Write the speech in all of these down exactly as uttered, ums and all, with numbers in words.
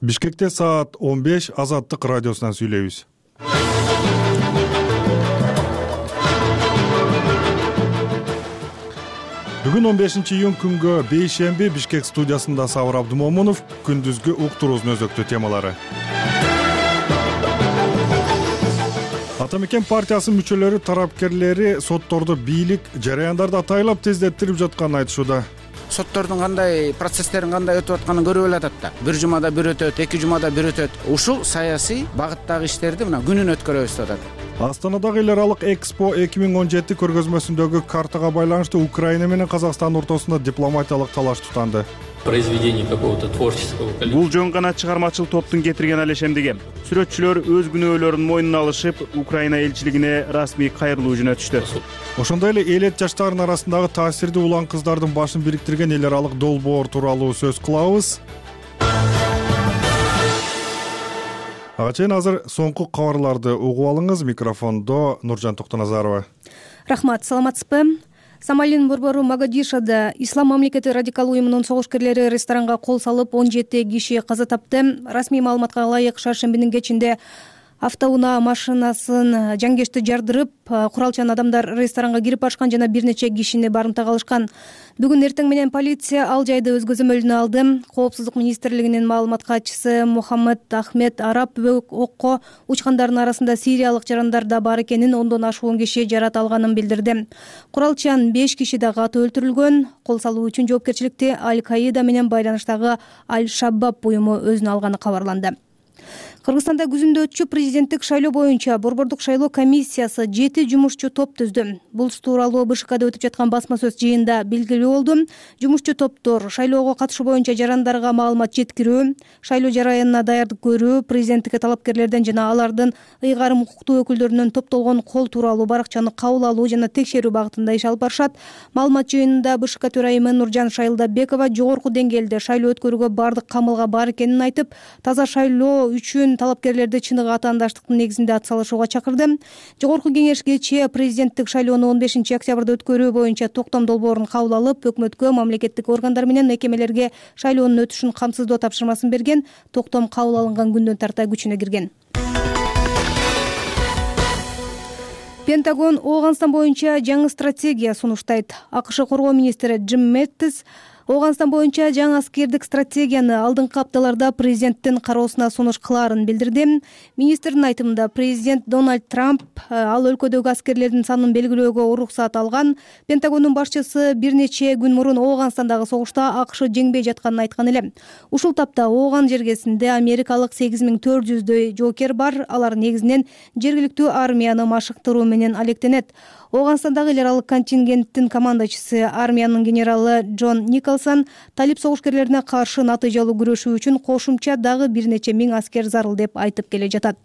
Бишкекте саат он беш Азаттык радиосунан сүйлөйбүз. Бүгүн он бешинчи июнь күнгө бейшемби Бишкек студиясында Сабыр Абдымомунов, күндүзгү уктуруубуздун өзөктүү темалары. Ата мекен партиясынын мүчөлөрү тарапкерлери соттордо бийлик жараяндарды атайлап тездеттирип жатканын айтышууда. Соттордун кандай процесстерин кандай өтүп атканын көрүп эле атат да. Бир жумада бир өтөт, эки жумада бир өтөт. Ушул саясий багыттагы иштерди мына күнүн өткөрөбүз деп атат. Астанадагы эл аралык Экспо эки миң он жети көргөзмөсүндөгү картага байланыштуу Украина менен Казакстан ортосунда дипломатиялык талаш тутанды. Произведение какого-то творческого коллектива. Бул жөн гана чыгармачыл топтун кетирген алешемдиги. Сүрөтчүлөр өз күнөөлөрүн мойнуна алышып, Украина элчилигине расмий кайрылуу жөнөтүштү. Ошондой эле элет жаштардын арасындагы таасирдүү улан кыздардын башын бириктирген эл аралык долбоор тууралуу сөз кылабыз. Ага чейин азыр соңку кабарларды угуп алыңыз. Микрофондо Нуржан Токтоназарова. Рахмат, саламатсызбы? Сомалинин борбору Могадишода Ислам мамлекети радикал уюмунун согушкерлери ресторанга кол салып он жети киши каза тапты. Расмий маалыматка ылайык шаршембинин кечинде автоунаа машинасын жангечти жардырып, куралчан адамдар ресторанга кирип ашкан жана бир нече кишини барымтага алышкан. Бүгүн эртең менен полиция ал жайды өз көзөмөлүнө алды. Коопсуздук министрлигинин маалымат катчысы Мухаммед Ахмед Араб окко учкандардын арасында сириялык жарандар да бар экенин, ондон ашуун киши жарат алганын билдирди. Куралчан беш киши да катуу өлтүрүлгөн. Кол салуу үчүн жоопкерчиликти Аль-Каида менен байланыштагы Аль-Шабаб уюму өзүнө алганы кабарланды. Кыргызстанда күзүндө өтчү президенттик шайлоо боюнча борбордук шайлоо комиссиясы жети жумушчу топ түздү. Бул тууралуу БШКда өтүп жаткан басма сөз жыйында белгилүү болду. Жумушчу топтор шайлоого катышуу боюнча жарандарга маалымат жеткирүү, шайлоо жараянына даярдык көрүү, президенттикке талапкерлерден жана алардын ыйгарым укуктуу өкүлдөрүнөн топтолгон кол тууралуу баракчаны кабыл алуу жана текшерүү багытында иш алып барышат. Маалымат жыйынында БШК төрайымы Нуржан Шайылдабекова жогорку деңгээлде шайлоо өткөрүүгө бардык камылга бар экенин айтып, таза шайлоо үчүн талапкерлерди чыныгы атаандаштыктын негизинде атсалышууга чакырды. Жогорку кеңеш кечээ президенттик шайлоону он бешинчи октябрда өткөрүү боюнча токтом долбоорун кабыл алып, өкмөткө, мамлекеттик органдар менен мекемелерге шайлоонун өтүшүн камсыздоо тапшырмасын берген. Токтом кабыл алынган күндөн тарта күчүнө кирген. Пентагон Ооганстан боюнча жаңы стратегия сунуштайт. АКШ коргоо министри Джим Мэттис Ооганстан боюнча жаңы аскердик стратегияны алдыңкы апталарда президенттин кароосуна сунуш кылаарын билдирди. Министрдин айтымында президент Дональд Трамп ал өлкөдөгү аскерлердин санын белгилөөгө уруксат алган. Пентагондун башчысы бир нече күн мурун Ооганстандагы согушта АКШ жеңбей жатканын айткан эле. Ушул тапта Ооган жергесинде америкалык сегиз миң төрт жүздөй жоокер бар. Алар негизинен жергиликтүү армияны машыктыруу менен алектенет. Ооганстандагы эл аралык контингенттин командачысы армиянын генералы Джон Николсон талип согушкерлерине каршы натыйжалуу күрөшүү үчүн кошумча дагы бир нече миң аскер зарыл деп айтып келе жатат.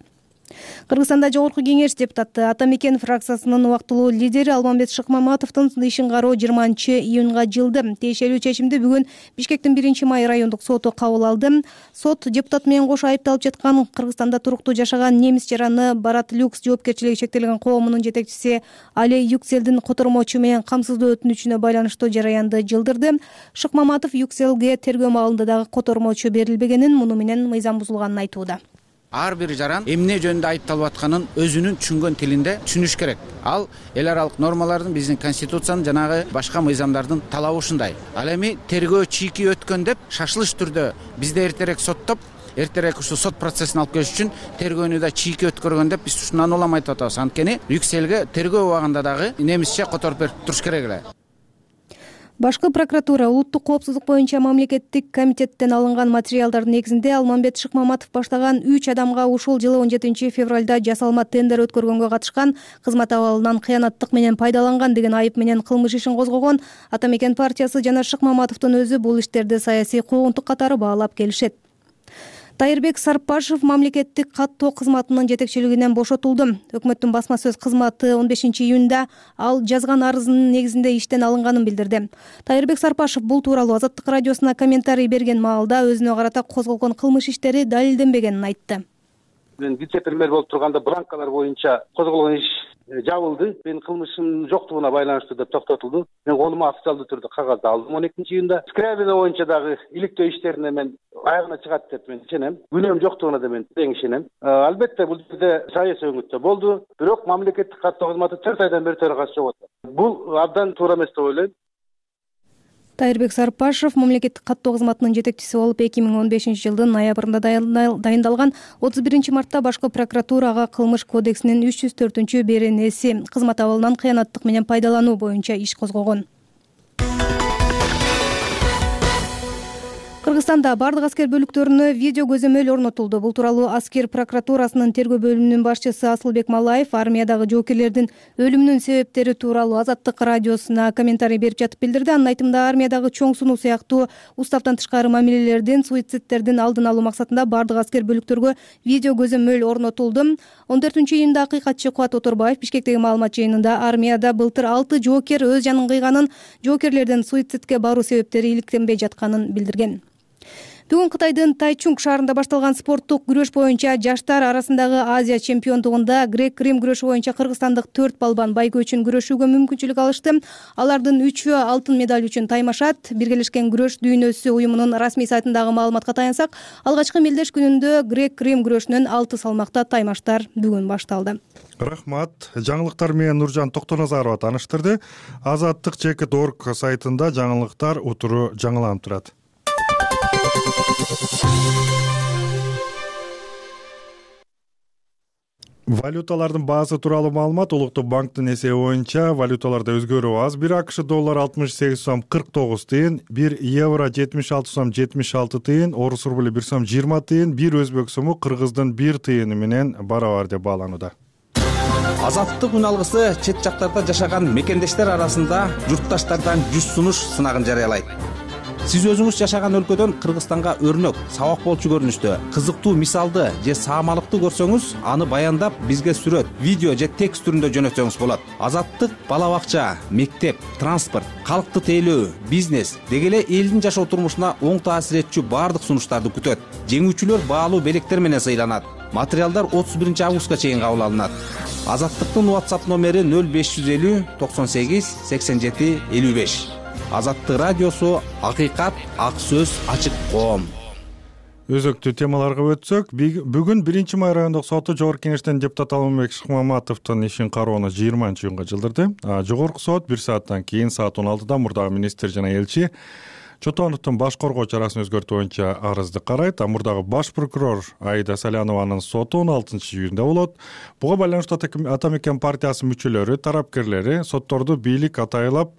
Кыргызстанда жогорку кеңеш депутаты Ата мекен фракциясынын убактылуу лидери Алмамбет Шыкмаматовдун ишин кароо жыйырманчы июнга жылды. Тиешелүү чечимди бүгүн Бишкектин биринчи май райондук соту кабыл алды. Сот депутат менен кошо айыпталып жаткан Кыргызстанда туруктуу жашаган немис жараны Барат Люкс жоопкерчилиги чектелген коомунун жетекчиси Али Юкселдин котормочу менен камсыздоо өтүнүчүнө байланыштуу жараянды жылдырды. Шыкмаматов Юкселге тергөө маалында дагы котормочу берилбегенин, муну менен мыйзам бузулганын айтууда. Ар бир жаран эмне жөнүндө айыпталып атканын өзүнүн түшүнгөн тилинде түшүнүш керек. Ал эл аралык нормалардын, биздин конституциянын жанагы башка мыйзамдардын талабы ушундай. Ал эми тергөө чийки өткөн деп шашылыш түрдө бизде эртерээк соттоп, эртерээк ушул сот процессин алып келиш үчүн тергөөнү да чийки өткөргөн деп биз ушундан улам айтып атабыз. Анткени Юкселге тергөө убагында дагы немисче которуп берип туруш керек эле. Башкы прокуратура улуттук коопсуздук боюнча мамлекеттик комитеттен алынган материалдардын негизинде Алмамбет Шыкмаматов баштаган үч адамга ушул жылы он жетинчи февралда жасалма тендер өткөргөнгө катышкан, кызмат абалынан кыянаттык менен пайдаланган деген айып менен кылмыш ишин козгогон. Ата мекен партиясы жана Шыкмаматовдун өзү бул иштерди саясий куугунтук катары баалап келишет. Тайырбек Сарпашев мамлекеттик каттоо кызматынын жетекчилигинен бошотулду. Өкмөттүн басма сөз кызматы он бешинчи июнда ал жазган арызынын негизинде иштен алынганын билдирди. Тайырбек Сарпашев бул тууралуу Азаттык радиосуна комментарий берген маалда өзүнө карата козголгон кылмыш иштери далилденбегенин айтты. Мен вице-премьер болуп турганда бланкалар боюнча козголгон иш жабылды. Менин кылмышымдын жоктугуна байланыштуу деп токтотулду. Мен колума официалдуу түрдө кагазды алдым он экинчи июнда. Скрябина боюнча дагы иликтөө иштерине мен аягына чыгат деп мен ишенем. Күнөөм жоктугуна да мен тең ишенем. Албетте бул жерде саясий өңүттө болду, бирок мамлекеттик каттоо кызматы төрт айдан бери төрагасы жок атат. Бул абдан туура эмес деп ойлойм. Тайырбек Сарпашев мамлекеттик каттоо кызматынын жетекчиси болуп эки миң он бешинчи жылдын ноябрында дайындалган отуз биринчи мартта башкы прокуратурага кылмыш кодексинин үч жүз төртүнчү беренеси кызмат абалынан кыянаттык менен пайдалануу боюнча иш козгогон. Кыргызстанда бардык аскер бөлүктөрүнө видео көзөмөл орнотулду. Бул тууралуу аскер прокуратурасынын тергөө бөлүмүнүн башчысы Асылбек Малаев армиядагы жоокерлердин өлүмүнүн себептери тууралуу Азаттык радиосуна комментарий берип жатып билдирди. Анын айтымында армиядагы чоң сунуу сыяктуу уставтан тышкары мамилелердин, суицидтердин алдын алуу максатында бардык аскер бөлүктөргө видео көзөмөл орнотулду. он төртүнчү июнда акыйкатчы Кубат Оторбаев Бишкектеги маалымат жыйынында армияда былтыр алты жоокер өз жанын кыйганын, жоокерлердин суицидке баруу себептери иликтенбей жатканын билдирген. Бүгүн Кытайдын Тайчунг шаарында башталган спорттук күрөш боюнча жаштар арасындагы Азия чемпиондугунда грек-рим күрөшү боюнча кыргызстандык төрт балбан байге үчүн күрөшүүгө мүмкүнчүлүк алышты. Алардын үчөө алтын медаль үчүн таймашат. Биргелешкен күрөш дүйнөсү уюмунун расмий сайтындагы маалыматка таянсак, алгачкы мелдеш күнүндө грек-рим күрөшүнөн алты салмакта таймаштар бүгүн башталды. Рахмат. Жаңылыктар менен Нуржан Токтоназарова тааныштырды. Азаттык чекит точка орг сайтында жаңылыктар утуру жаңыланып турат. Валюталардын баасы тууралуу маалымат. Улуттук банктын эсеби боюнча валюталарда өзгөрүү аз. бир акш доллар алтымыш сегиз сом кырк тогуз тыйын, бир евро жетимиш алты сом жетимиш алты тыйын, орус рубли бир сом жыйырма тыйын, бир өзбек сому кыргыздын бир тыйыны менен барабар деп бааланууда. Азаттык үн алгысы чет жактарда жашаган мекендештер арасында журтташтардан жүз сунуш сынагын жарыялайт. Сиз өзүңүз жашаган өлкөдөн Кыргызстанга өрнөк, сабак болчу көрүнүштө, кызыктуу мисалды же саамалыкты көрсөңүз, аны баяндап бизге сүрөт, видео же текст түрүндө жөнөтсөңүз болот. Азаттык бала бакча, мектеп, транспорт, калкты тейлөө, бизнес деги эле элдин жашоо турмушуна оң таасир этчү бардык сунуштарды күтөт. Жеңүүчүлөр баалуу белектер менен сыйланат. Материалдар отуз биринчи августка чейин кабыл алынат. Азаттыктын WhatsApp номери нөл беш жүз элүү токсон сегиз сексен жети элүү беш. Азаттык радиосу, акыйкат, ак сөз, ачык коом. Өзөктүү темаларга өтсөк, бүгүн биринчи май райондук соту Жогорку Кеңештен депутат Алмамбет Шыкмаматовдун ишин кароону жыйырманчы июнга жылдырды. Жогорку сот бир сааттан кийин саат он алтыда мурдагы министр жана элчи Чотоновдун баш коргоо чарасын өзгөртүү боюнча арызды карайт. Мурдагы баш прокурор Аида Салянованын соту он алтынчы июнда болот. Буга байланыштуу Ата мекен партиясынын мүчөлөрү, тарапкерлери сотторду бийлик атайлап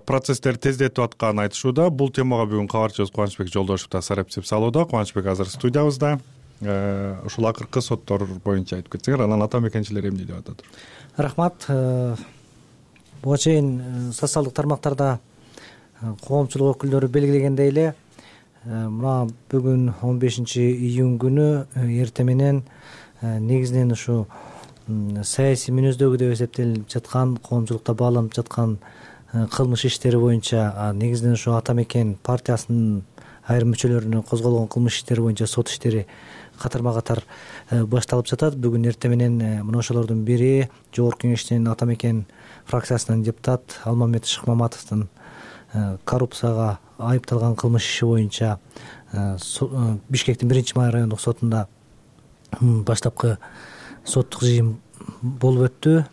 процесстер тездетип атканын айтышууда. Бул темага бүгүн кабарчыбыз Кубанычбек Жолдошев да сарапчилик салууда. Кубанычбек азыр студиябызда. Ушул акыркы соттор боюнча айтып кетсеңер, анан ата мекенчилер эмне деп атат? Рахмат. Буга чейин социалдык тармактарда коомчулук өкүлдөрү белгилегендей эле, мына бүгүн он бешинчи июнь күнү эртең менен негизинен ушу саясий мүнөздөгү деп эсептелип жаткан, коомчулукта бааланып жаткан кылмыш иштери боюнча, негизинен ушу Ата мекен партиясынын айрым мүчөлөрүнө козголгон кылмыш иштери боюнча сот иштери катарма катар башталып жатат. Бүгүн эртең менен мына ошолордун бири Жогорку Кеңештин Ата мекен фракциясынын депутат Алмамбет Шыкмаматовдун коррупцияга айыпталган кылмыш иши боюнча Бишкектин биринчи май райондук сотунда баштапкы соттук жыйын болуп өттү.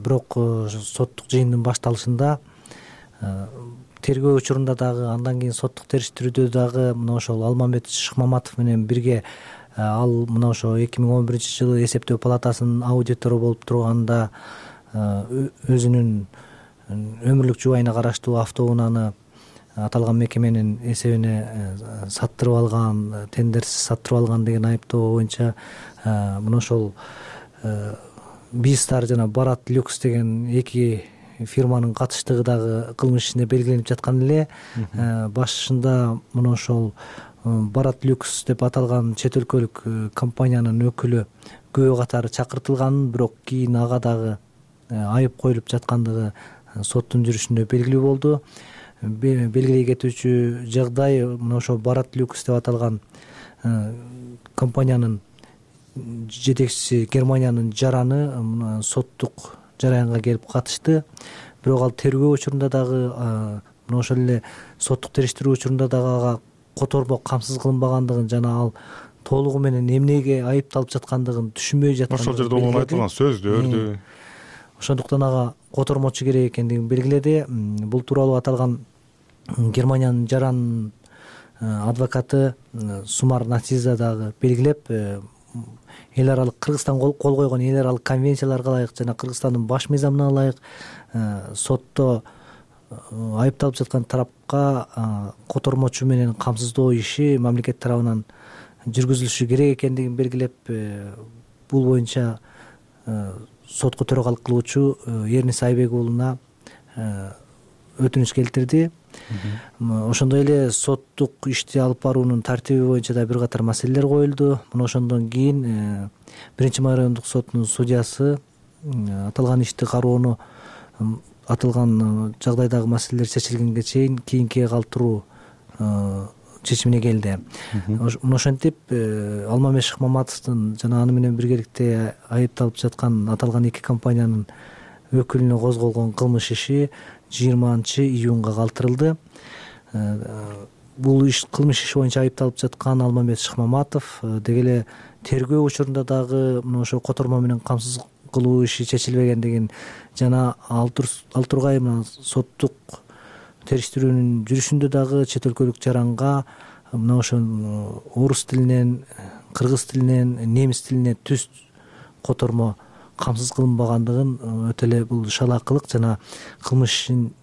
Бирок соттук жыйындын башталышында тергөө учурунда дагы, андан кийин соттук териштирүүдө дагы мына ошол Алмамбет Шыкмаматов менен бирге ал мына ошо эки миң он биринчи жылы эсептөө палатасынын аудитору болуп турганда өзүнүн өмүрлүк жубайына караштуу автоунааны аталган мекеменин эсебине саттырып алган, тендерсиз саттырып алган деген айыптоо боюнча мына ошол Бистар жана Барат Люкс деген эки фирманын катыштыгы дагы кылмыш ишине белгиленип жаткан эле. Башында мына ошол Барат Люкс деп аталган чет өлкөлүк компаниянын өкүлү күбө катары чакыртылганын, бирок кийин ага дагы айып коюлуп жаткандыгы соттун жүрүшүндө белгилүү болду. Белгилей кетүүчү жагдай, мына ошол Барат Люкс деп аталган компаниянын жетекчиси Германиянын жараны соттук жараянга келип катышты. Бирок ал тергөө учурунда дагы мына ошол эле соттук териштирүү учурунда дагы ага котормо камсыз кылынбагандыгын жана ал толугу менен эмнеге айыпталып жаткандыгын түшүнбөй жаткандыгын ошол жерде онун айтылган сөздөрдү. Ошондуктан ага котормочу керек экендигин белгиледи. Бул тууралуу аталган Германиянын жаранын адвокаты Сумар Натиза дагы белгилеп, эл аралык Кыргызстан кол койгон эл аралык конвенцияларга ылайык жана Кыргызстандын баш мыйзамына ылайык сотто айыпталып жаткан тарапка котормочу менен камсыздоо иши мамлекет тарабынан жүргүзүлүшү керек экендигин белгилеп, бул боюнча сотко төрагалык кылуучу Эрнис Айбек уулуна өтүнүч келтирди. Ошондой эле соттук ишти алып баруунун тартиби боюнча да бир катар маселелер коюлду. Мына ошондон кийин биринчи май райондук сотунун судьясы аталган ишти кароону аталган жагдайдагы маселелер чечилгенге чейин кийинкиге калтыруу чечимине келди. Мына ошентип Алмамет Шыкмаматовдун жана аны менен биргеликте айыпталып жаткан аталган эки компаниянын өкүлүнө козголгон кылмыш иши жыйырманчы июнга калтырылды. Бул иш кылмыш иши боюнча айыпталып жаткан Алмамет Шыкмаматов деги эле тергөө учурунда дагы мына ошо котормо менен камсыз кылуу иши чечилбегендигин жана ал тургай мына соттук териштирүүнүн жүрүшүндө дагы чет өлкөлүк жаранга мына ошо орус тилинен, кыргыз тилинен, немис тилине түз котормо камсыз кылынбагандыгын өтө эле бул шалаакылык жана кылмыш ишин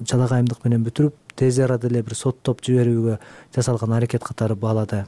жалагайымдык менен бүтүрүп тез арада эле бир соттоп жиберүүгө жасалган аракет катары баалады.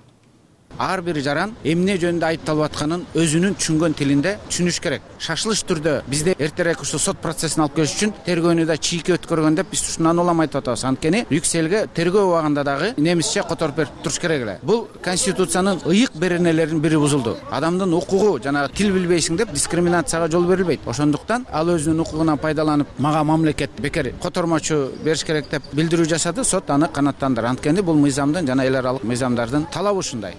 Ар бир жаран эмне жөнүндө айыпталып атканын өзүнүн түшүнгөн тилинде түшүнүш керек. Шашылыш түрдө бизде эртерээк ушул сот процессин алып келиш үчүн тергөөнү да чийки өткөргөн деп биз ушундан улам айтып атабыз. Анткени Брюкселге тергөө убагында дагы немисче которуп берип туруш керек эле. Бул конституциянын ыйык беренелеринин бири бузулду. Адамдын укугу жана тил билбейсиң деп дискриминацияга жол берилбейт. Ошондуктан ал өзүнүн укугунан пайдаланып, мага мамлекет бекер котормочу бериш керек деп билдирүү жасады. Сот аны канааттандырды. Анткени бул мыйзамдын жана эл аралык мыйзамдардын талабы ушундай.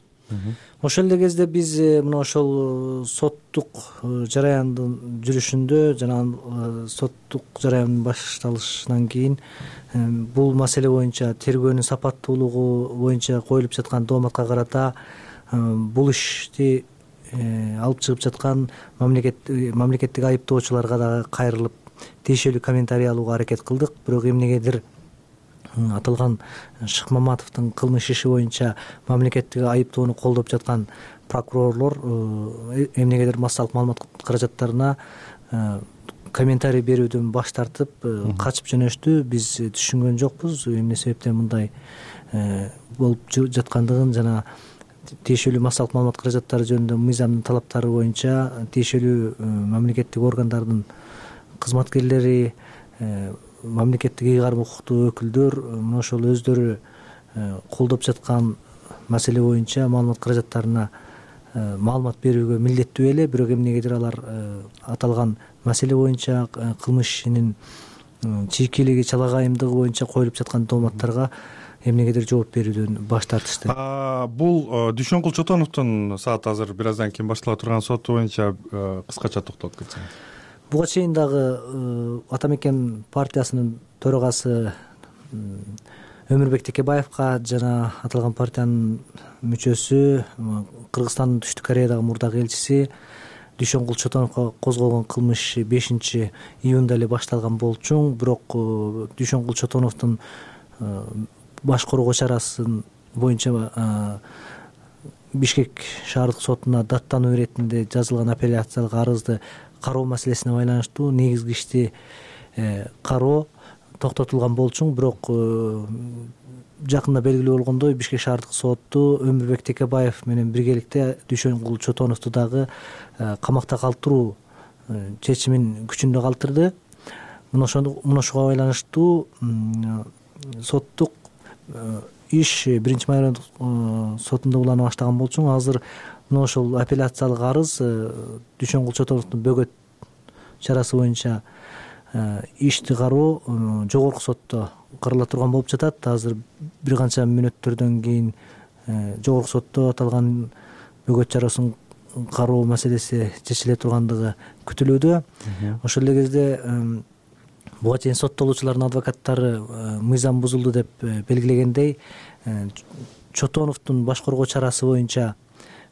Ошол эле кезде биз мына ошол соттук жараяндын жүрүшүндө жана соттук жараяндын башталышынан кийин бул маселе боюнча тергөөнүн сапаттуулугу боюнча коюлуп жаткан дооматка карата бул ишти алып чыгып жаткан мамлекеттик айыптоочуларга дагы кайрылып тиешелүү комментарий алууга аракет кылдык. Бирок эмнегедир аталган Шыкмаматовдун кылмыш иши боюнча мамлекеттик айыптоону колдоп жаткан прокурорлор эмнегедир массалык маалымат каражаттарына комментарий берүүдөн баш тартып качып жөнөштү. Биз түшүнгөн жокпуз эмне себептен мындай болуп жаткандыгын жана тиешелүү массалык маалымат каражаттары жөнүндө мыйзамдын талаптары боюнча тиешелүү мамлекеттик органдардын кызматкерлери, мамлекеттик ыйгарым укуктуу өкүлдөр мына ошол өздөрү колдоп жаткан маселе боюнча маалымат каражаттарына маалымат берүүгө милдеттүү эле. Бирок эмнегедир алар аталган маселе боюнча кылмыш ишинин чийкилиги, чалагайымдыгы боюнча коюлуп жаткан дооматтарга эмнегедир жооп берүүдөн баш тартышты. Бул Дүйшөнкул Чотоновдун саат азыр бир аздан кийин баштала турган соту боюнча кыскача токтолуп кетсеңиз. Буга чейин дагы Ата мекен партиясынын төрагасы Өмүрбек Текебаевка жана аталган партиянын мүчөсү Кыргызстандын Түштүк Кореядагы мурдагы элчиси Дүйшөнкул Чотоновго козголгон кылмыш бешинчи июнда эле башталган болчу. Бирок Дүйшөнкул Чотоновдун баш коргоо чарасын боюнча Бишкек шаардык сотуна даттануу иретинде жазылган апелляциялык арызды кароо маселесине байланыштуу негизги ишти кароо токтотулган болчу. Бирок жакында белгилүү болгондой Бишкек шаардык соту Өмүрбек Текебаев менен биргеликте Дүйшөнкул Чотоновду дагы камакта калтыруу чечимин күчүндө калтырды. Мына ошого байланыштуу соттук иш биринчи май райондук сотунда улана баштаган болчу. Азыр мына ошол апелляциялык арыз Дүйшөнкул Чотоновдун бөгөт чарасы боюнча ишти кароо жогорку сотто карала турган болуп жатат. Азыр бир канча мүнөттөрдөн кийин жогорку сотто аталган бөгөт чарасын кароо маселеси чечиле тургандыгы күтүлүүдө. Ошол эле кезде буга чейин соттолуучулардын адвокаттары мыйзам бузулду деп белгилегендей, Чотоновдун баш коргоо чарасы боюнча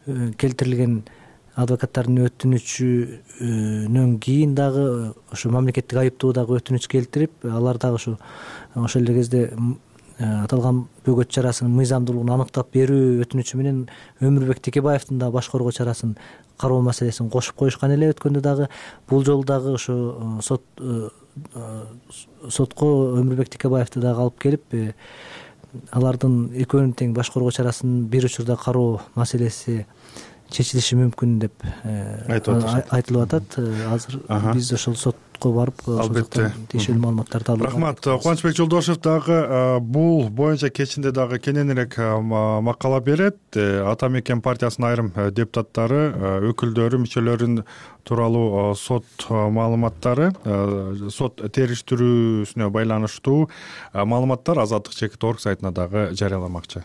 келтирилген адвокаттардын өтүнүчүнөн кийин дагы ошо мамлекеттик айыптоо дагы өтүнүч келтирип, алар дагы ошо ошол эле кезде аталган бөгөт чарасынын мыйзамдуулугун аныктап берүү өтүнүчү менен Өмүрбек Текебаевдин да баш коргоо чарасын кароо маселесин кошуп коюшкан эле өткөндө дагы. Бул жолу дагы ошо сот сотко Өмүрбек Текебаевди дагы алып келип, алардын экөөнүн тең баш коргоо чарасын бир учурда кароо маселеси чечилиши мүмкүн деп айтылып атат. Азыр биз ошол сотко барып албетте тиешелүү маалыматтарды алып. Рахмат. Кубанычбек Жолдошев дагы бул боюнча кечинде дагы кененирээк макала берет. Ата Мекен партиясынын айрым депутаттары, өкүлдөрү, мүчөлөрүн тууралуу сот маалыматтары, сот териштирүүсүнө байланыштуу маалыматтар Азаттык чекит орг сайтына дагы жарыяламакчы.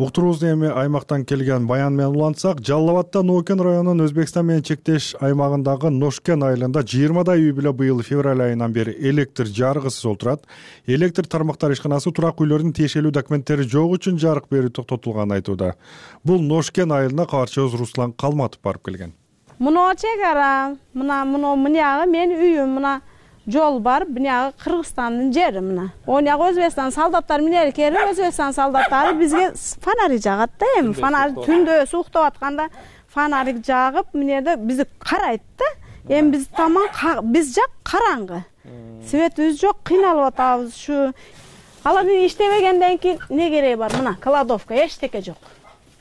Уктуруубузду эми аймактан келген баян менен улантсак, Жалал Абадда Ноокен районунун Өзбекстан менен чектеш аймагындагы Ношкен айылында жыйырмадай үй бүлө быйыл февраль айынан бери электр жарыгысыз олтурат. Электр тармактар ишканасы турак үйлөрдүн тиешелүү документтери жок үчүн жарык берүү токтотулганын айтууда. Бул Ношкен айылына кабарчыбыз Руслан Калматов барып келген. Муну чек ара, мына муну мынягы мен үйүм, мына жол бар, бунягы Кыргызстандын жери мына. Онягы Өзбекстан солдаттары менен келип, Өзбекстан солдаттары бизге фонарик жагат да, эми фонарик түндө уктап атканда фонарик жагып, менде бизди карайт да. Эми биз таман биз жак караңгы. Светибиз жок, кыйналып атабыз. Ушу алар иштебегенден кийин не кереги бар? Мына кладовка эчтеке жок.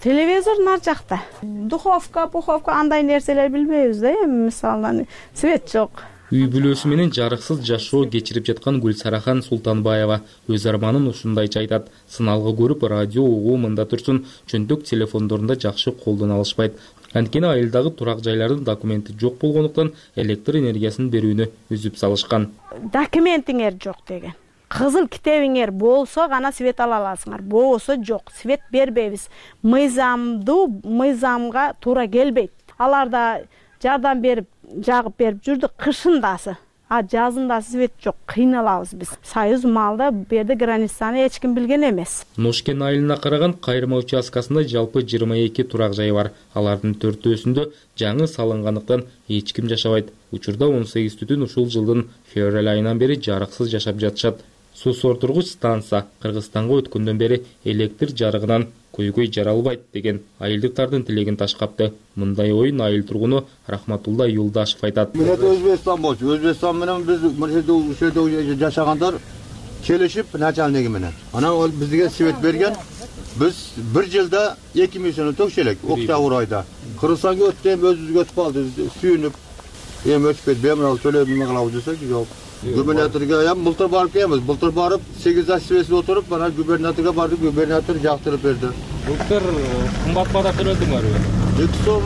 Телевизор нар жакта. Духовка, пуховка андай нерселер билбейбиз да, эми мисалдан свет жок. Үй бүлөсү менен жарыксыз жашоо кечирип жаткан Гүлсарахан Султанбаева өз арманын ушундайча айтат. Сыналгы көрүп, радио угуу мында турсун, чөнтөк телефондорунда жакшы колдоно алышпайт. Анткени айылдагы турак жайлардын документи жок болгондуктан электр энергиясын берүүнү үзүп салышкан. Документиңер жок деген. Кызыл китебиңер болсо гана свет ала аласыңар. Болсо жок, свет бербейбиз. Мыйзамду мыйзамга туура келбейт. Аларда жардам берип жагып берип жүрдү кышындасы. А жазында свет жок, кыйналабыз биз. Союз малда бу жерде границаны эч ким билген эмес. Ношкен айылына караган кайрма участкасында жалпы жыйырма эки турак жай бар. Алардын төртөөсүндө жаңы салынгандыктан эч ким жашабайт. Учурда он сегиз түтүн ушул жылдын февраль айынан бери жарыксыз жашап жатышат. Суу сортургуч станция Кыргызстанга өткөндөн бери электр жарыгынан көйгөй жаралбайт деген айылдыктардын тилегин ташкапты. Мындай оюн айыл тургуну Рахматулла Юлдашев айтат. Мен Өзбекстан болчу. Өзбекстан менен биз ушул жерде жашагандар келишип начальниги менен. Анан ол бизге свет берген. Биз бир жылда эки миң сом төкчүлүк октябрь айда. Кыргызстанга өттү, өзүбүзгө өтүп калды. Сүйүнүп, эми өчпөйт, беморал төлөдүм кылабыз десек, жок. Губернаторга ям былтыр барып келебиз. Былтыр барып сегиз ай свесип отуруп, анан губернаторга бардык, губернатор жактырып берди. Былтыр кымбат бара төлөдүңөрбү? эки сом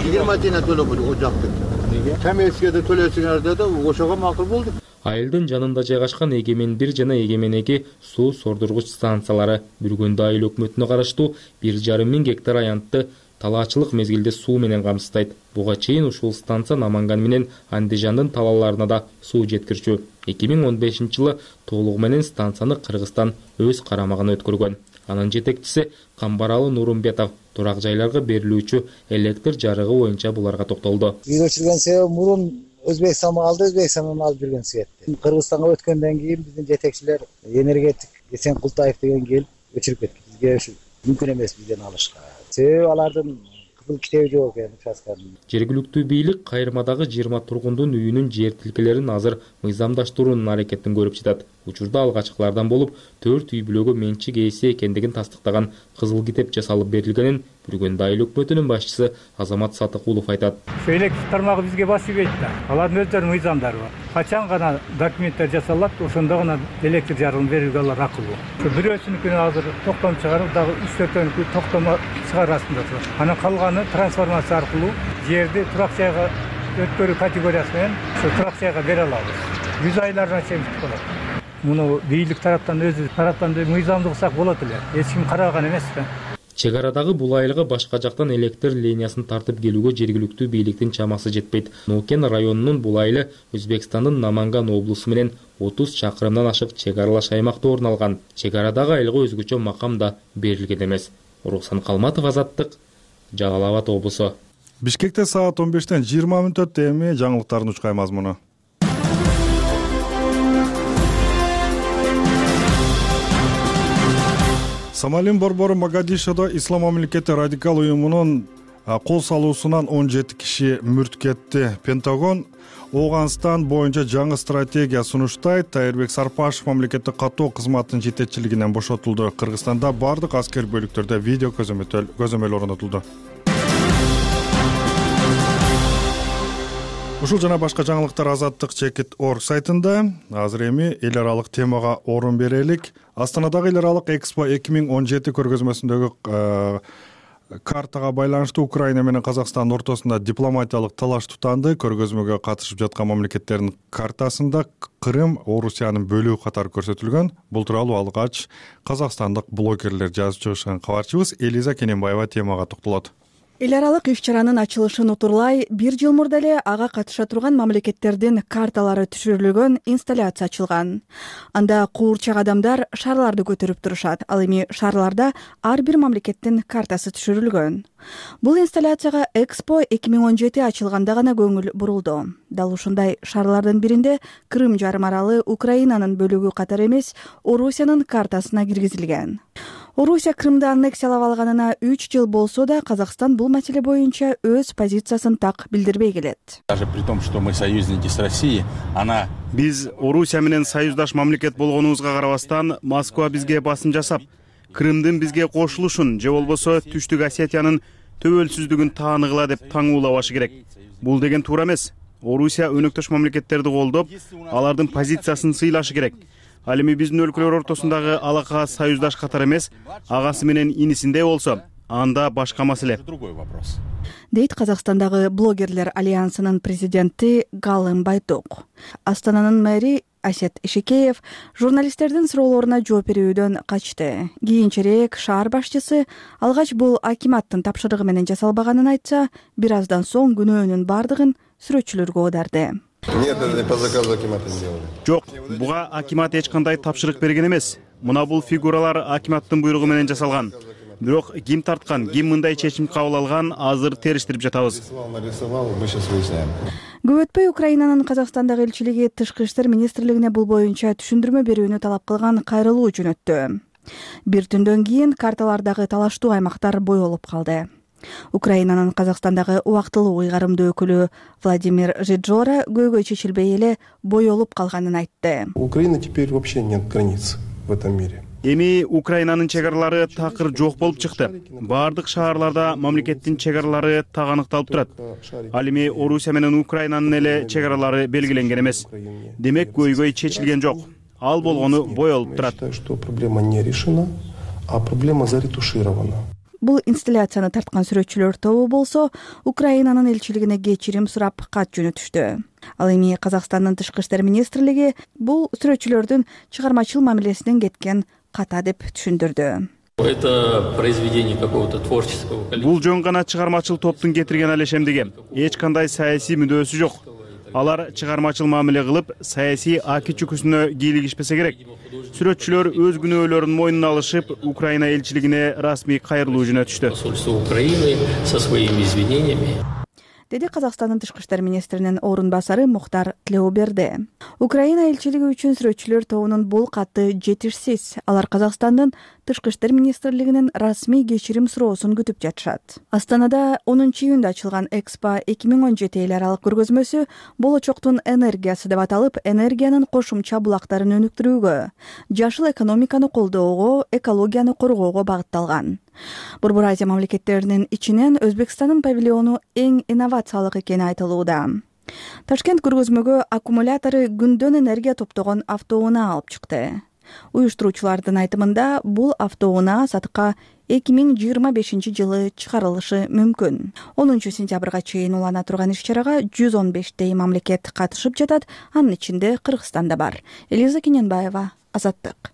жыйырма тиен төлөп о жактык. Неге? Комиссияга да төлөсүңөр деди, ошого макул болдук. Айылдын жанында жайгашкан Эгемен бир жана Эгемен эки суу сордургуч станциялары Бүргөндө айыл өкмөтүнө караштуу бир жарым миң гектар аянтты талаачылык мезгилде суу менен камсыздайт. Буга чейин ушул станция Наманган менен Андижандын талааларына да суу жеткирчү. эки миң он бешинчи жылы толугу менен станцияны Кыргызстан өз карамагына өткөргөн. Анын жетекчиси Камбаралы Нурумбетов турак жайларга берилүүчү электр жарыгы боюнча буларга токтолду. Үйрөчүлгөн себеби мурун Өзбекстан алды, Өзбекстандан алып жүргөн светти. Кыргызстанга өткөндөн кийин биздин жетекчилер энергетик Эсен Култаев деген келип өчүрүп кетти. Бизге ушу мүмкүн эмес бизден алышка. Себеби алардын кызыл китеби жок экен участканын. Жергиликтүү бийлик кайрмадагы жыйырма тургундун үйүнүн жер тилкелерин азыр мыйзамдаштыруунун аракетин көрүп жатат. Учурда алгачкылардан болуп төрт үй бүлөгө менчик ээси экендигин тастыктаган кызыл китеп жасалып берилгенин Бүргөндө айыл өкмөтүнүн башчысы Азамат Сатыкулов айтат. Электр тармагы бизге басып кетти. Алардын өздөрүнүн мыйзамдары бар. Качан гана документтер жасалат, ошондо гана электр жарыгын берүүгө алар акылуу. Бирөөсүнүкүнү азыр токтом чыгарып, дагы үч төртөөнүкү токтомо чыгарасында турат. Анан калганы трансформация аркылуу жерди турак жайга өткөрүү категориясы менен ошо турак жайга бере алабыз. жүз айларына чейин болот. Муну бийлик тараптан өзү тараптан мыйзамды кылсак болот эле. Эч ким караган эмес да. Чек арадагы бул айлыга башка жактан электр линиясын тартып келүүгө жергиликтүү бийликтин чамасы жетпейт. Нукен районунун бул айылы Өзбекстандын Наманган облусу менен отуз чакырымдан ашык чек аралаш аймакта орун алган. Чек арадагы айылга өзгөчө макам да берилген эмес. Рухсан Калматов, Азаттык, Жалал Абад облусу. Бишкекте саат он бештен жыйырма мүнөт өттү. Эми жаңылыктардын учкай мазмуну. Сомалинин борбору Могадишодо Ислам мамлекети радикал уюмунун кол салуусунан он жети киши мүрт кетти. Пентагон Ооганстан боюнча жаңы стратегия сунуштайт. Тайырбек Сарпашев мамлекеттик каттоо кызматынын жетекчилигинен бошотулду. Кыргызстанда бардык аскер бөлүктөрдө видео көзөмөл орнотулду. Ушул жана башка жаңылыктар Азаттык чекит точка орг сайтында. Азыр эми эл аралык темага орун берелик. Астанадагы эл аралык Экспо эки миң он жети көргөзмөсүндөгү картага байланыштуу Украина менен Казакстандын ортосунда дипломатиялык талаш тутанды. Көргөзмөгө катышып жаткан мамлекеттердин картасында Крым Орусиянын бөлүгү катары көрсөтүлгөн. Бул тууралуу алгач казакстандык блогерлер жазып чыгышкан. Кабарчыбыз Элиза Кененбаева темага токтолот. Эл аралык иш-чаранын ачылышын утурлай бир жыл мурда эле ага катыша турган мамлекеттердин карталары түшүрүлгөн инсталляция ачылган. Анда куурчак адамдар шарларды көтөрүп турушат. Ал эми шарларда ар бир мамлекеттин картасы түшүрүлгөн. Бул инсталляцияга Экспо эки миң он жети ачылганда гана көңүл бурулду. Дал ушундай шарлардын биринде Крым жарым аралы Украинанын бөлүгү катары эмес, Орусиянын картасына киргизилген. Орусия Крымды аннексиялап алганына үч жыл болсо да, Казакстан бул маселе боюнча өз позициясын так билдирбей келет. Даже при том, что мы союзники с Россией, она Биз Орусия менен союздаш мамлекет болгонубузга карабастан, Москва бизге басым жасап, Крымдын бизге кошулушун же болбосо Түштүк Осетиянын төбөлсүздүгүн тааныгыла деп таңуулабашы керек. Бул деген туура эмес. Орусия өнөктөш мамлекеттерди колдоп, алардын позициясын сыйлашы керек. Ал эми биздин өлкөлөр ортосундагы алака союздаш катары эмес, агасы менен инисиндей болсо, анда башка маселе. Дейт Казакстандагы блогерлер альянсынын президенти Галым Байток. Астананын мэри Асет Ишекеев журналисттердин суроолоруна жооп берүүдөн качты. Кийинчерээк шаар башчысы алгач бул акиматтын тапшырыгы менен жасалбаганын айтса, бир аздан соң күнөөнүн бардыгын сүрөтчүлөргө оодарды. Нет, это не по заказу акимата сделали. Жок, буга акимат эч кандай тапшырык берген эмес. Мына бул фигуралар акиматтын буйругу менен жасалган. Бирок ким тарткан, ким мындай чечим кабыл алган, азыр териштирип жатабыз. Көп өтпөй Украинанын Казакстандагы элчилиги Тышкы иштер министрлигине бул боюнча түшүндүрмө берүүнү талап кылган кайрылуу жөнөттү. Бир түндөн кийин карталардагы талаштуу аймактар боёлуп калды. Украинанын Казакстандагы убактылуу ыйгарымдуу өкүлү Владимир Жиджора көйгөй чечилбей эле боёлуп калганын айтты. Украина теперь вообще нет границ в этом мире. Эми Украинанын чек аралары такыр жок болуп чыкты. Бардык шаарларда мамлекеттин чек аралары так аныкталып турат. Ал эми Орусия менен Украинанын эле чек аралары белгиленген эмес. Демек көйгөй чечилген жок. Ал болгону боёлуп турат. Что проблема не решена, а проблема заретуширована. Бул инсталляцияны тарткан сүрөтчүлөр тобу болсо, Украинанын элчилигине кечирим сурап кат жөнөтүштү. Ал эми Казакстандын Тышкы иштер министрлиги бул сүрөтчүлөрдүн чыгармачыл мамилесинен кеткен ката деп түшүндүрдү. Это произведение какого-то творческого коллектива. Бул жөн гана чыгармачыл топтун кетирген алешемдиги. Эч кандай саясий мүдөөсү жок. Алар чыгармачыл мамиле кылып, саясий аки чүкүсүнө кийлигишпесе керек. Сүрөтчүлөр өз күнөөлөрүн мойнуна алышып, Украина элчилигине расмий кайрылуу жөнөтүштү. Посольство Украины со своими извинениями. Деди Казакстандын Тышкы иштер министринин орун басары Мухтар Тлеуберди. Украина элчилиги үчүн сүрөтчүлөр тобунун бул каты жетишсиз. Алар Казакстандын Тышкы иштер министрлигинин расмий кечирим суроосун күтүп жатышат. Астанада онунчу июнда ачылган Экспо эки миң он жети эл аралык көргөзмөсү болочоктун энергиясы деп аталып, энергиянын кошумча булактарын өнүктүрүүгө, жашыл экономиканы колдоого, экологияны коргоого багытталган. Борбор Азия мамлекеттеринин ичинен Өзбекстандын павильону эң инновациялык экени айтылууда. Ташкент көргөзмөгө аккумулятору күндөн энергия топтогон автоунаа алып чыкты. Уюштуруучулардын айтымында бул автоунаа сатыкка эки миң жыйырма бешинчи жылы чыгарылышы мүмкүн. онунчу сентябрга чейин улана турган иш-чарага жүз он бештей мамлекет катышып жатат, анын ичинде Кыргызстан да бар. Элиза Кененбаева, Азаттык.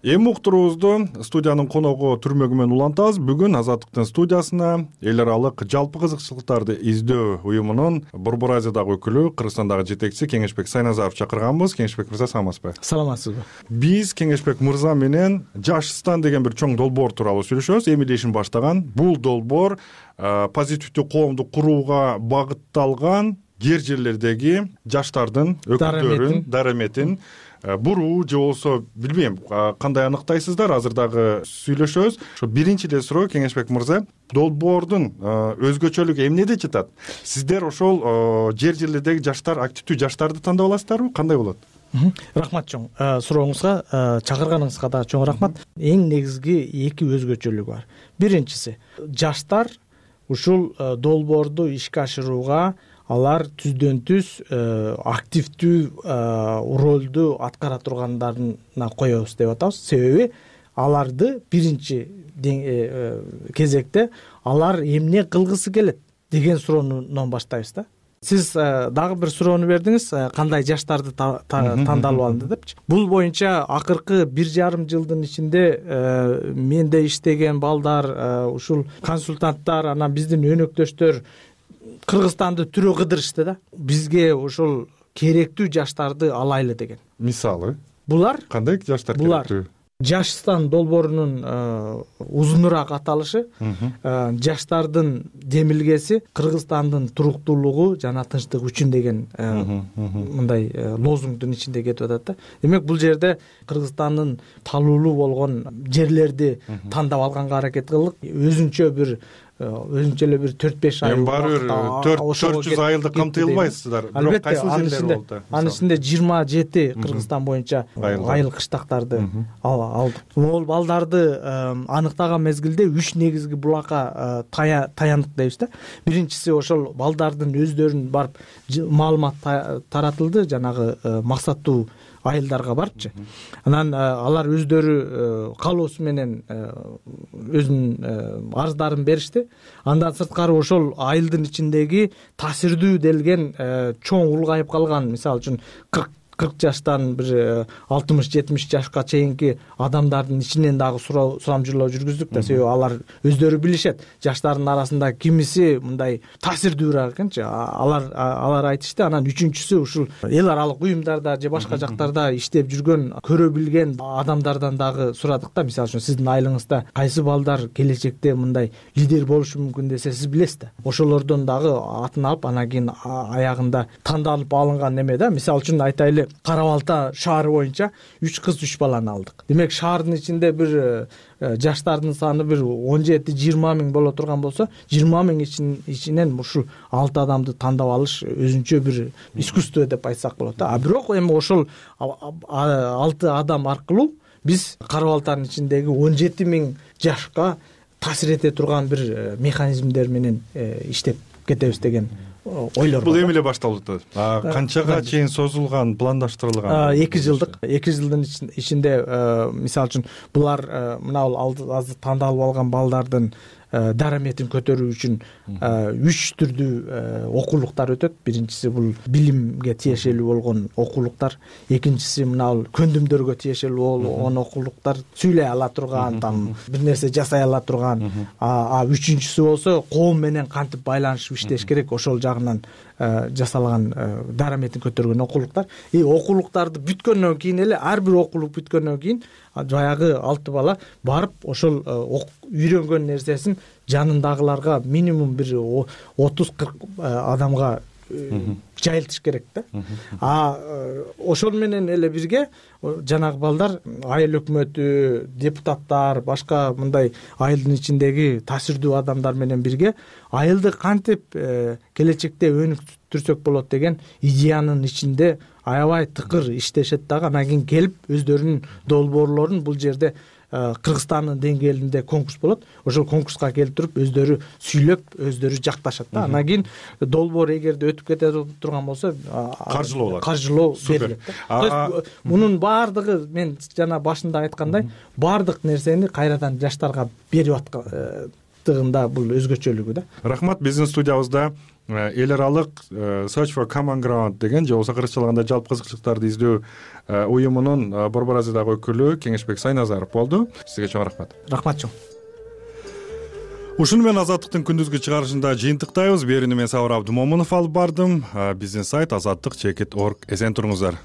Эми уктуруубузду студиянын коногу Түрмөгү менен улантабыз. Бүгүн Азаттыктын студиясына эл аралык жалпы кызыкчылыктарды издөө уюмунун Борбор Азиядагы өкүлү, Кыргызстандагы жетекчиси Кеңешбек Сайназаров чакырганбыз. Кеңешбек мырза, саламатсызбы? Саламатсызбы. Биз Кеңешбек мырза менен Жашстан деген бир чоң долбоор тууралуу сүйлөшөбүз. Эми ишин баштаган. Бул долбоор позитивдүү коомду курууга багытталган жер жерлердеги жаштардын өкүлдөрүн, дараметин буруу же болбосо билбейм кандай аныктайсыздар, азыр дагы сүйлөшөбүз. Ошо биринчи эле суроо, Кеңешбек мырза, долбоордун өзгөчөлүгү эмнеде жатат? Сиздер ошол жер жерлердеги жаштар, активдүү жаштарды тандап аласыздарбы? Кандай болот? Рахмат чоң сурооңузга, чакырганыңызга да чоң рахмат. Эң негизги эки өзгөчөлүгү бар. Биринчиси, жаштар ушул долбоорду ишке ашырууга алар түздөн түз активдүү ролду аткара тургандарына коебуз деп атабыз. Себеби аларды биринчи кезекте алар эмне кылгысы келет деген суроонон баштайбыз да. Сиз дагы бир суроону бердиңиз, кандай жаштарды тандалып алынды депчи. Бул боюнча акыркы бир жарым жылдын ичинде менде иштеген балдар, ушул консультанттар, анан биздин өнөктөштөр Кыргызстанды түрө кыдырышты да. Бизге ошол керектүү жаштарды алайлы деген. Мисалы? Булар кандай жаштар керектүү? Жашстан долбоорунун узунураак аталышы жаштардын демилгеси Кыргызстандын туруктуулугу жана тынчтык үчүн деген мындай лозунгдун ичинде кетип атат да. Демек бул жерде Кыргызстандын талуулуу болгон жерлерди тандап алганга аракет кылдык. Өзүнчө бир өзүнчө эле бир төрт беш ай. Эми баары бир төрт жүз айылды камтый албайсыздар. Бирок кайсы жерлер болду? Анын ичинде жыйырма жети Кыргызстан боюнча айыл кыштактарды алдык. Могул балдарды аныктаган мезгилде үч негизги булакка таяндык дейбиз да. Биринчиси ошол балдардын өздөрүн барып маалымат таратылды, жанагы максаттуу айылдарга барыпчы. Анан алар өздөрү каалоосу менен өзүнүн арыздарын беришти. Андан сырткары ошол айылдын ичиндеги таасирдүү делген чоң улгайып калган, мисалы үчүн кырк жаштан бир алтымыш жетимиш жашка чейинки адамдардын ичинен дагы сурамжылоо жүргүздүк да. Себеби алар өздөрү билишет, жаштардын арасында кимиси мындай таасирдүүрөөк экенчи. Алар алар айтышты. Анан үчүнчүсү ушул эл аралык уюмдарда же башка жактарда иштеп жүргөн, көрө билген адамдардан дагы сурадык да. Мисалы үчүн сиздин айылыңызда кайсы балдар келечекте мындай лидер болушу мүмкүн десе, сиз билесиз да. Ошолордон дагы атын алып, анан кийин аягында тандалып алынган неме да. Мисалы үчүн айтайлы, Кара Балта шаары боюнча үч кыз үч баланы алдык. Демек шаардын ичинде бир жаштардын саны бир он жети жыйырма миң боло турган болсо, жыйырма миң ичинен ушул алты адамды тандап алыш өзүнчө бир искусство деп айтсак болот да. А бирок эми ошол алты адам аркылуу биз Кара Балтанын ичиндеги он жети миң жашка таасир эте турган бир механизмдер менен иштеп кетебиз деген ойлор. Бул эми эле башталып атат. Канчага чейин созулган, пландаштырылган? эки жылдык. эки жылдын ичинде, мисалы үчүн, булар мына азыр тандалып алган балдардын дараметин көтөрүү үчүн үч түрдүү окуулуктар өтөт. Биринчиси бул билимге тиешелүү болгон окуулуктар, экинчиси мына көндүмдөргө тиешелүү болгон окуулуктар, сүйлөй ала турган, там бир нерсе жасай ала турган, а үчүнчүсү болсо коом менен кантип байланышып иштеш керек, ошол жагынан жасалган дараметин көтөргөн окуулуктар. И окуулуктарды бүткөндөн кийин эле, ар бир окуулук бүткөндөн кийин баягы алты бала барып ошол үйрөнгөн нерсесин жанындагыларга минимум бир отуз кырк адамга жайылтыш керек да. А ошол менен эле бирге жанагы балдар айыл өкмөтү, депутаттар, башка мындай айылдын ичиндеги таасирдүү адамдар менен бирге айылды кантип келечекте өнүктүрсөк болот деген идеянын ичинде аябай тыкыр иштешет дагы. Анан кийин келип өздөрүнүн долбоорлорун бул жерде Кыргызстандын деңгээлинде конкурс болот. Ошол конкурска келип туруп өздөрү сүйлөп, өздөрү жакташат да. Анан кийин долбоор эгерде өтүп кете турган болсо, каржылоо болот. Каржылоо берилет да. То есть мунун баардыгы, мен жана башында айткандай, баардык нерсени кайрадан жаштарга берип аткандыгында бул өзгөчөлүгү да. Рахмат. Биздин студиябызда эл аралык Search for Common Ground деген же болбосо кыргызча айтканда жалпы кызыкчылыктарды издөө уюмунун Борбор Азиядагы өкүлү Кеңешбек Сайназаров болду. Сизге чоң рахмат. Рахмат чоң. Ушуну менен Азаттыктын күндүзгү чыгарышында жыйынтыктайбыз. Берүүнү мен Сабыр Абдымомунов алып бардым. Биздин сайт азаттык чекит точка орг. Эсен туруңуздар.